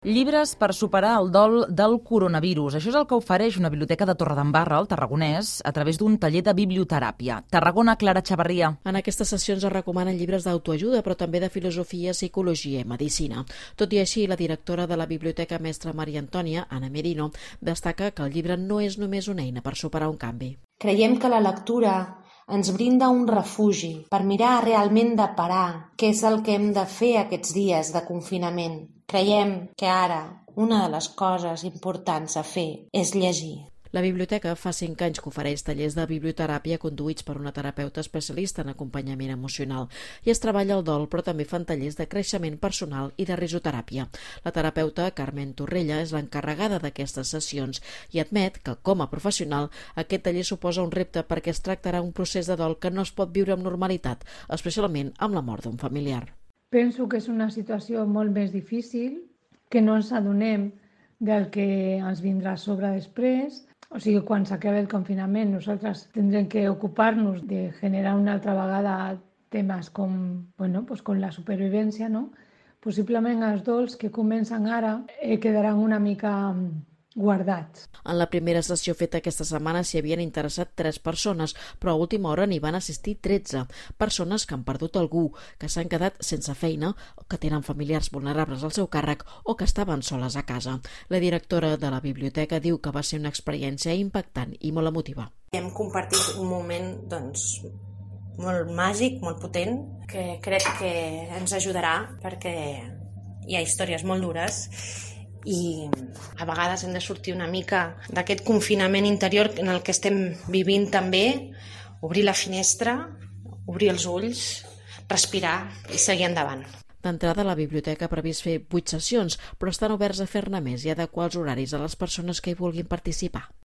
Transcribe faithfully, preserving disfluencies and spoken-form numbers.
Llibres per superar el dol del coronavirus. Això és el que ofereix una biblioteca de Torredembarra, al Tarragonès, a través d'un taller de biblioteràpia. Tarragona, Clara Chavarria. En aquestes sessions es recomanen llibres d'autoajuda, però també de filosofia, psicologia i medicina. Tot i així, la directora de la Biblioteca Mestra Maria Antònia, Anna Merino, destaca que el llibre no és només una eina per superar un canvi. Creiem que la lectura ens brinda un refugi per mirar realment de parar què és el que hem de fer aquests dies de confinament. Creiem que ara una de les coses importants a fer és llegir. La biblioteca fa cinc anys que ofereix tallers de biblioteràpia conduïts per una terapeuta especialista en acompanyament emocional i es treballa el dol, però també fan tallers de creixement personal i de risoteràpia. La terapeuta Carmen Torrella és l'encarregada d'aquestes sessions i admet que, com a professional, aquest taller suposa un repte perquè es tractarà un procés de dol que no es pot viure amb normalitat, especialment amb la mort d'un familiar. Penso que és una situació molt més difícil, que no ens adonem del que ens vindrà a sobre després. O sigui, quan s'acabi el confinament, nosaltres tindrem que ocupar-nos de generar una altra vegada temes com, bueno, pues com la supervivència, no? Possiblement els dols que comencen ara eh, quedaran una mica guardats. En la primera sessió feta aquesta setmana s'hi havien interessat tres persones, però a última hora n'hi van assistir tretze. Persones que han perdut algú, que s'han quedat sense feina, que tenen familiars vulnerables al seu càrrec o que estaven soles a casa. La directora de la biblioteca diu que va ser una experiència impactant i molt emotiva. Hem compartit un moment, doncs, molt màgic, molt potent, que crec que ens ajudarà perquè hi ha històries molt dures i a vegades hem de sortir una mica d'aquest confinament interior en el que estem vivint també, obrir la finestra, obrir els ulls, respirar i seguir endavant. D'entrada, la biblioteca ha previst fer vuit sessions, però estan oberts a fer-ne més i adequar els horaris a les persones que hi vulguin participar.